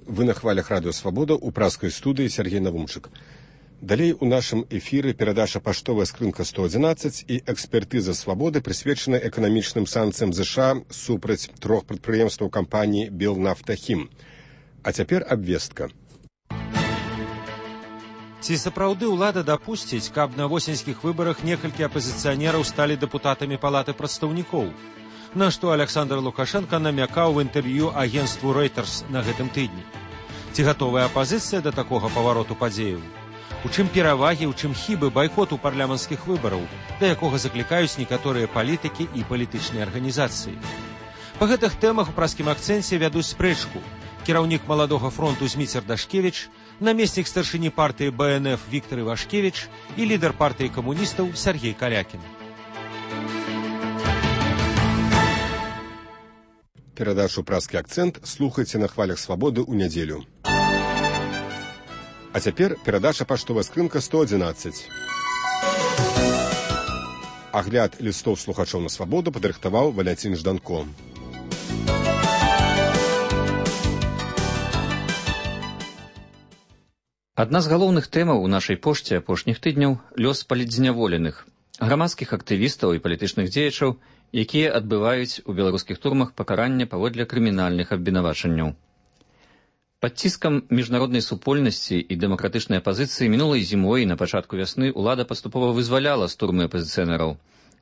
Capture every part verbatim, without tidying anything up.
Вы на хвалях радыё «Свабода» ў праскай студыі Сергей Навумчык. Далей у нашым эфіры перадача «Паштовая скрынка сто адзінаццаць» і экспертыза «Свабоды» прысвечана эканамічным санкцыям ЗША супраць трох прадпрыемстваў кампаніі «Белнафтахім». А цяпер абвестка. Ці сапраўды ўлада дапусціць, каб на восеньскіх выбарах некалькі апазіцыянераў сталі дэпутатамі палаты прадстаўнікоў? На што Александр Лукашенко намякаў в інтэрв'ю агенству Reuters на гэтым тыдні. Ці гатовая апазіцыя да такога павароту падзеяў? У чым перавагі, у чым хібы байкоту парламенцкіх выбараў, да якога заклікаюць некаторыя палітыкі і палітычныя арганізацыі? Па гэтых тэмах у праскім акцэнце вядуць спрэчку кіраўнік маладога фронту Зміцер Дашкевіч, намеснік старшыні партыі Бэ Эн Эф Віктор Івашкевіч і лідар партыі камуністаў Сергей Калякін. Перадачу «Праскі акцэнт» слухайце на хвалях «Свабоды» ў нядзелю. А цяпер перадача «Паштовая скрынка сто адзінаццаць». Агляд лістоў слухачоў на «Свабоду» падрыхтаваў Валянцін Жданко. Адна з галоўных тэмаў у нашай пошце апошніх тыдняў – лёс палітзняволеных, грамадскіх актывістаў і палітычных дзеячаў, якія адбываюць у беларускіх турмах пакарання паводле крымінальных абвінавачанняў. Пад ціскам міжнароднай супольнасці і дэмакратычнай апазіцыі мінулай зімой і на пачатку вясны ўлада паступова вызваляла з турмы апазіцыянераў.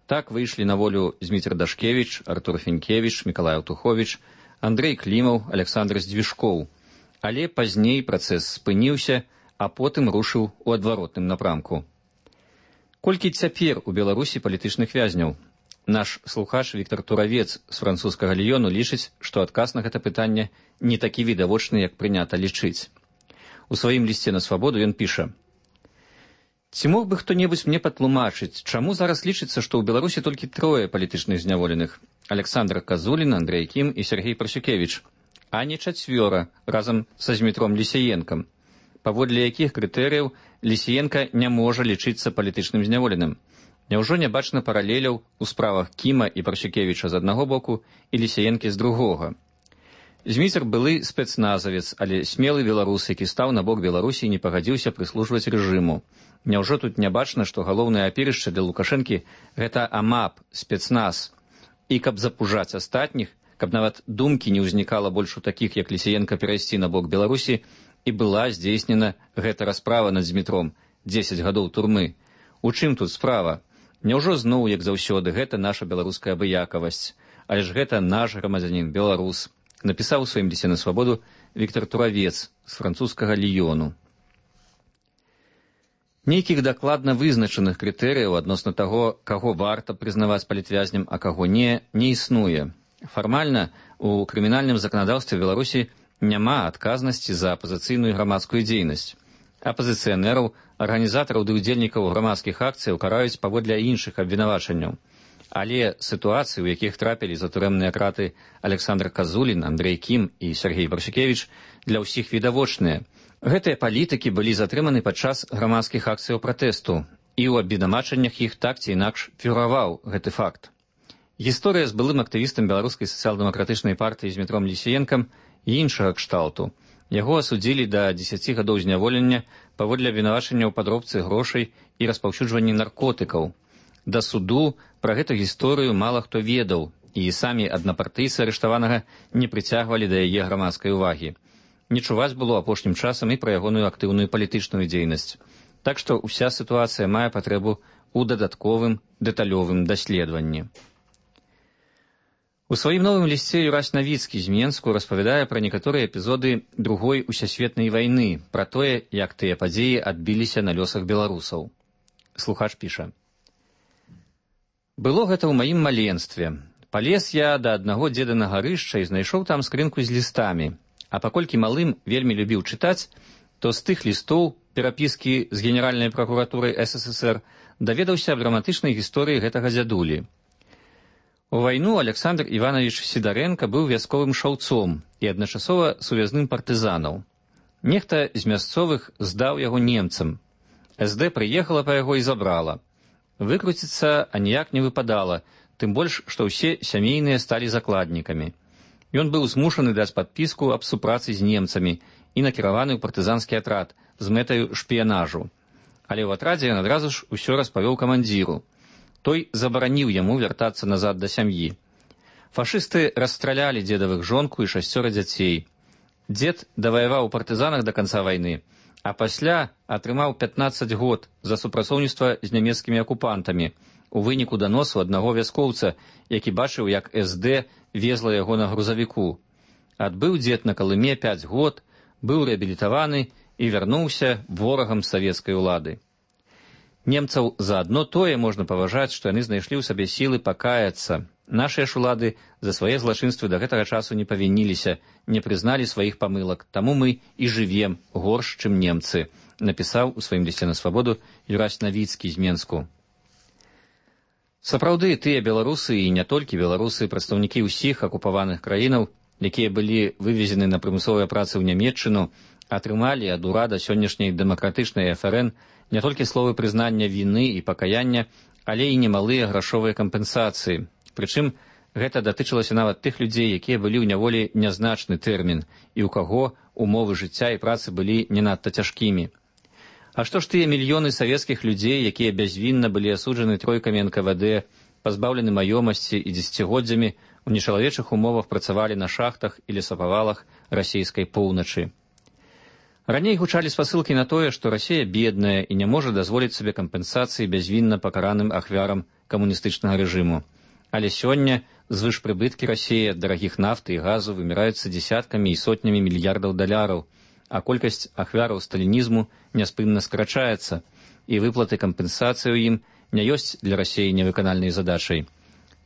Так выйшлі на волю Зміцер Дашкевіч, Артур Фенкевіч, Мікалай Аўтуховіч, Андрэй Клімаў, Александр Здвіжкоў. Але пазней працэс спыніўся, а потым рушыў у адваротным напрамку. Колькі цяпер у Беларусі палітычных вязняў? Наш слухач Віктор Туравец з французскага Ліёну лічыць, што адказ на гэта пытанне не такі відавочны, як прынята лічыць. У сваім лісце на «Свабоду» ён піша: «Ці мог бы хто-небудзь мне патлумачыць, чаму зараз лічыцца, што ў Беларусі толькі трое палітычных зняволеных – Александр Казулін, Андрэй Кім і Сергей Прасюкевіч, а не чацвёра разам са Змітром Лісіенкам, паводле якіх крытэрыяў Лісіенка не можа лічыцца палітычным зняволеным. Няўжо не бачна паралеляў у справах Кіма і Прасюкевіча з аднаго боку і Лісіенкі з другога? Зміцер былы спецназавец, але смелы беларус, які стаў на бок Беларусі і не пагадзіўся прыслужваць рэжыму. Няўжо тут не бачна, што галоўнае апірышча для Лукашэнкі – гэта АМАП, спецназ. І каб запужаць астатніх, каб нават думкі не ўзнікала больш у такіх, як Лісіенка, перайсці на бок Беларусі, і была здзейснена гэта расправа над Змітром – дзесяць гадоў турмы. У чым тут справа? Няўжо зноў, як заўсёды, гэта наша беларуская абыякавасць, але ж гэта наш грамадзянін, беларус, напісаў у сваім лісце на «Свабоду» Віктор Туравец з французскага Ліёну. Нейкіх дакладна вызначаных крытэрыяў адносна таго, каго варта прызнаваць палітвязням, а каго не, не існуе. Фармальна у крымінальным заканадаўстве Беларусі няма адказнасці за апазіцыйную грамадскую дзейнасць. Апазіцыянераў, арганізатараў ды ўдзельнікаў грамадскіх акцыяў караюць паводле іншых абвінавачанняў. Але сітуацыі, у якіх трапілі за турэмныя краты Александр Казулін, Андрэй Кім і Сергей Прасюкевіч, для ўсіх відавочныя. Гэтыя палітыкі былі затрыманы падчас грамадскіх акцыяў пратэсту, і ў абвінавачаннях іх так ці інакш фігураваў гэты факт. Гісторыя з былым актывістам беларускай сацыял-дэмакратычнай партыі Змітром Лісіенкам і іншага кшталту. Яго асудзілі да дзесяці гадоў зняволення паводле абвінавачання ў падробцы грошай і распаўсюджванні наркотыкаў. Да суду пра гэту гісторыю мала хто ведаў, і самі аднапартыйцы арыштаванага не прыцягвалі да яе грамадскай увагі. Не чуваць было апошнім часам і пра ягоную актыўную палітычную дзейнасць. Так што ўся сітуацыя мае патрэбу ў дадатковым дэталёвым даследаванні. У сваім новым лісце Юрась Навіцкі з Менску распавядае пра некаторыя эпізоды другой усесветнай вайны, пра тое, як тыя падзеі адбіліся на лёсах беларусаў. Слухач піша: «Было гэта ў маім маленстве. Палез я да аднаго дзеда на гарышча і знайшоў там скрынку з лістамі. А паколькі малым вельмі любіў чытаць, то з тых лістоў перапіскі з генеральнай пракуратурай эс эс эс эр даведаўся аб драматычнай гісторыі гэтага дзядулі. У вайну Александр Іванович Сідарэнка быў вясковым шаўцом і адначасова сувязным партызанаў. Нехта з мясцовых здаў яго немцам. эс дэ прыехала па яго і забрала. Выкруціцца аніяк не выпадала, тым больш, што ўсе сямейныя сталі закладнікамі. Ён быў змушаны даць падпіску аб супрацы з немцамі і накіраваны ў партызанскі атрад з мэтаю шпіянажу. Але ў атрадзе ён адразу ж усё распавёў камандзіру. Той забараніў яму вяртацца назад да сям'і. Фашысты расстралялі дзедавых жонку і шасцёра дзяцей. Дзед даваяваў у партызанах да канца вайны, а пасля атрымаў пятнаццаць год за супрацоўніцтва з нямецкімі акупантамі у выніку даносу аднаго вяскоўца, які бачыў, як эс дэ везла яго на грузавіку. Адбыў дзед на Калыме пяць год, быў рэабілітаваны і вярнуўся ворагам савецкай улады. Немцаў за адно тое можна паважаць, што яны знайшлі ў сабе сілы пакаяцца. Нашыя ж улады за свае злачынствы да гэтага часу не павініліся, не прызналі сваіх памылак, таму мы і жывем горш, чым немцы, напісаў у сваім лісце на свабоду Юрась Навіцкі з Менску. Сапраўды, тыя беларусы і не толькі беларусы, прадстаўнікі ўсіх акупаваных краінаў, якія былі вывезены на прымусовыя працы ў Нямецчыну, атрымалі ад урада сённяшняй дэмакратычнай эф эр эн не толькі словы прызнання віны і пакаяння, але і немалыя грашовыя кампенсацыі. Прычым, гэта датычылася нават тых людзей, якія былі ў няволі нязначны тэрмін, і ў каго умовы жыцця і працы былі не надта цяжкімі. А што ж тыя мільёны савецкіх людзей, якія бязвінна былі асуджаны тройкамі эн ка вэ дэ, пазбаўлены маёмасці і дзесяцігоддзямі у нечалавечых умовах працавалі на шахтах і лесапавалах расійскай поўначы. Раней гучалі спасылкі на тое, што Расія бедная і не можа дазволіць сабе кампенсацыі бязвінна пакараным ахвярам камуністычнага рэжыму. Але сёння звышпрыбыткі Расіі ад дарагіх нафты і газу выміраюцца дзесяткамі і сотнямі мільярдаў даляраў, а колькасць ахвяраў сталінізму няспынна скарачаецца, і выплаты кампенсацыі ў ім не ёсць для Расіі невыканальнай задачай.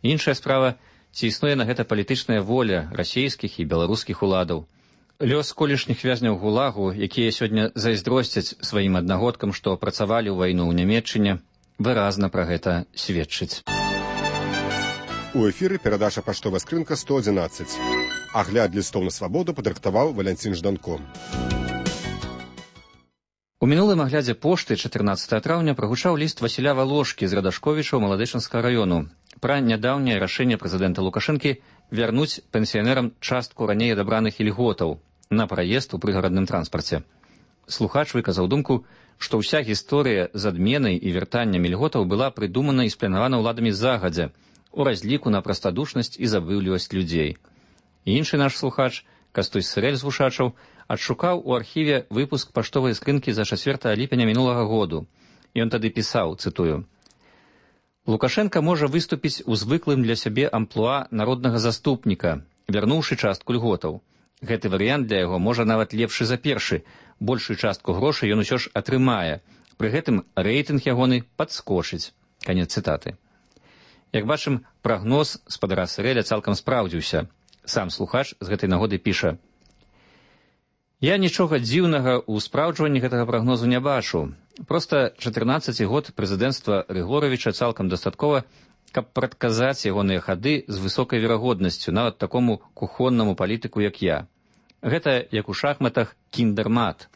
Іншая справа, ці існуе на гэта палітычная воля расійскіх і беларускіх уладаў. Лёс колішніх вязняў гулагу, якія сёння зайздросцяць сваім аднагодкам, што працавалі ў вайну ў Нямецчыне, выразна пра гэта сведчыць. У эфіры перадача «Паштовая скрынка сто адзінаццаць». Агляд лістоў на свабоду падрыхтаваў Валянцін Жданко. У мінулым аглядзе пошты чатырнаццатага траўня прагучаў ліст Васіля Валошкі з Радашковіча ў Маладэчынскага раёну пра нядаўняе рашэнне прэзідэнта Лукашэнкі вярнуць пенсіянерам частку раней адабраных ільготаў на праезд у прыгарадным транспарце. Слухач выказаў думку, што ўся гісторыя з адменай і вяртаннем ільготаў была прыдумана і спланавана ўладамі загадзя, у разліку на прастадушнасць і забыўлівасць людзей. Іншы наш слухач, Кастусь Сырэль з Вушачаў, адшукаў у архіве выпуск паштовай скрынкі за чацвёртага ліпеня мінулага году. Ён тады пісаў, цытую: «Лукашенка можа выступіць у звыклым для сябе амплуа народнага заступніка, вярнуўшы частку льготаў. Гэты варыянт для яго можа нават лепшы за першы, большую частку грошай ён усё ж атрымае, пры гэтым рэйтынг ягоны падскочыць». Канец цытаты. Як бачым, прагноз спадара Сырэля цалкам спраўдзіўся. Сам слухач з гэтай нагоды піша: «Я нічога дзіўнага ў спраўджванні гэтага прагнозу не бачу. Проста чатырнаццаці год прэзідэнцтва Рыгоравіча цалкам дастаткова, каб прадказаць ягоныя хады з высокай верагоднасцю нават такому кухоннаму палітыку, як я. Гэта, як у шахматах, кіндэрмат.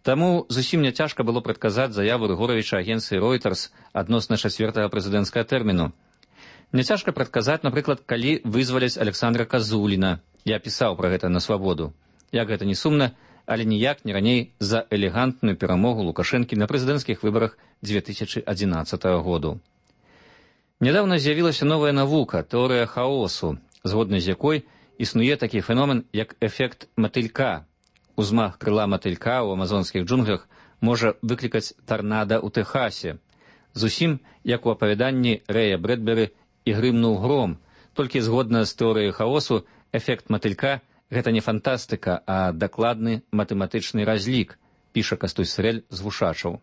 Таму зусім няцяжка было прадказаць заяву Рыгоравіча агенцыі Reuters адносна чацвёртага прэзідэнцкага тэрміну. Няцяжка прадказаць, напрыклад, калі вызваляць Александра Казуліна. Я пісаў пра гэта на свабоду. Як гэта не сумна, але ніяк не раней за элегантную перамогу Лукашэнкі на прэзідэнцкіх выбарах дзве тысячы адзінаццатага году. Нядаўна з'явілася новая навука, тэорыя хаосу, згодна з якой існуе такі феномен, як эфект матылька. Узмах крыла матылька ў амазонскіх джунглях можа выклікаць тарнада ў Тэхасе. Зусім, як у апавяданні Рэя Брэдберы «І грымнуў гром», толькі згодна з тэорыяй хаосу, эфект матылька – гэта не фантастыка, а дакладны матэматычны разлік, піша Кастусь Сырэль з Вушачаў.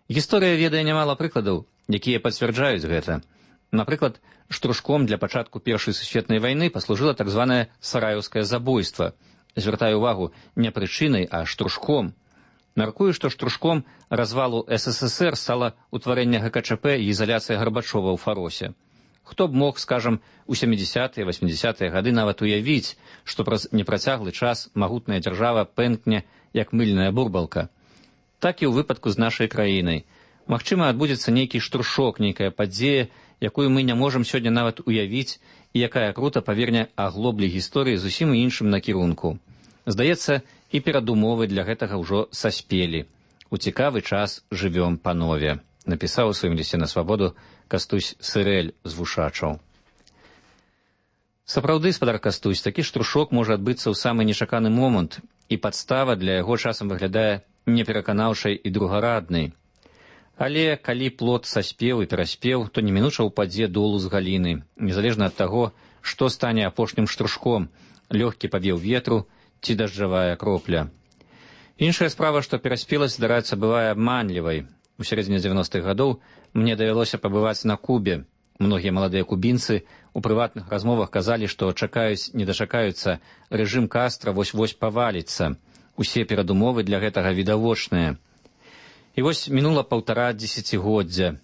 Гісторыя ведае нямала прыкладаў, якія пацвярджаюць гэта. Напрыклад, штуршком для пачатку Першай сусветнай вайны паслужыла так званае сараяўскае забойства. Звяртаю увагу, не прычынай, а штуршком. Мяркую, што штуршком развалу эс эс эс эр стала ўтварэнне гэ ка чэ пэ і ізаляцыя Гарбачова ў Фаросе. Хто б мог, скажам, у сямідзясятыя васьмідзясятыя гады нават уявіць, што праз непрацяглы час магутная дзяржава пэнкне, як мыльная бурбалка. Так і ў выпадку з нашай краінай. Магчыма, адбудзецца нейкі штуршок, нейкая падзея, якую мы не можам сёння нават уявіць, і якая крута паверне аглоблі гісторыі зусім іншым накірунку. Здаецца, і перадумовы для гэтага ўжо саспелі. У цікавы час жывём панове, напісаў у сваім лісце на свабоду Кастусь Сырэль з Вушачаў. Сапраўды, спадар Кастусь, такі штрушок можа адбыцца ў самы нечаканы момант, і падстава для яго часам выглядае непераканаўшай і другараднай. Але калі плод саспеў і пераспеў, то немінуча ўпадзе долу з галіны, незалежна ад таго, што стане апошнім штрушком, лёгкі павеў ветру ці дажджавая кропля. Іншая справа, што пераспеласць, здараецца, бывае абманлівай. У сярэдзіне дзевяностых гадоў мне давялося пабываць на Кубе. Многія маладыя кубінцы у прыватных размовах казалі, што чакаюць, не дачакаюцца, рэжым Кастра вось-вось паваліцца. Усе перадумовы для гэтага відавочныя. І вось мінула паўтара дзесяцігоддзя.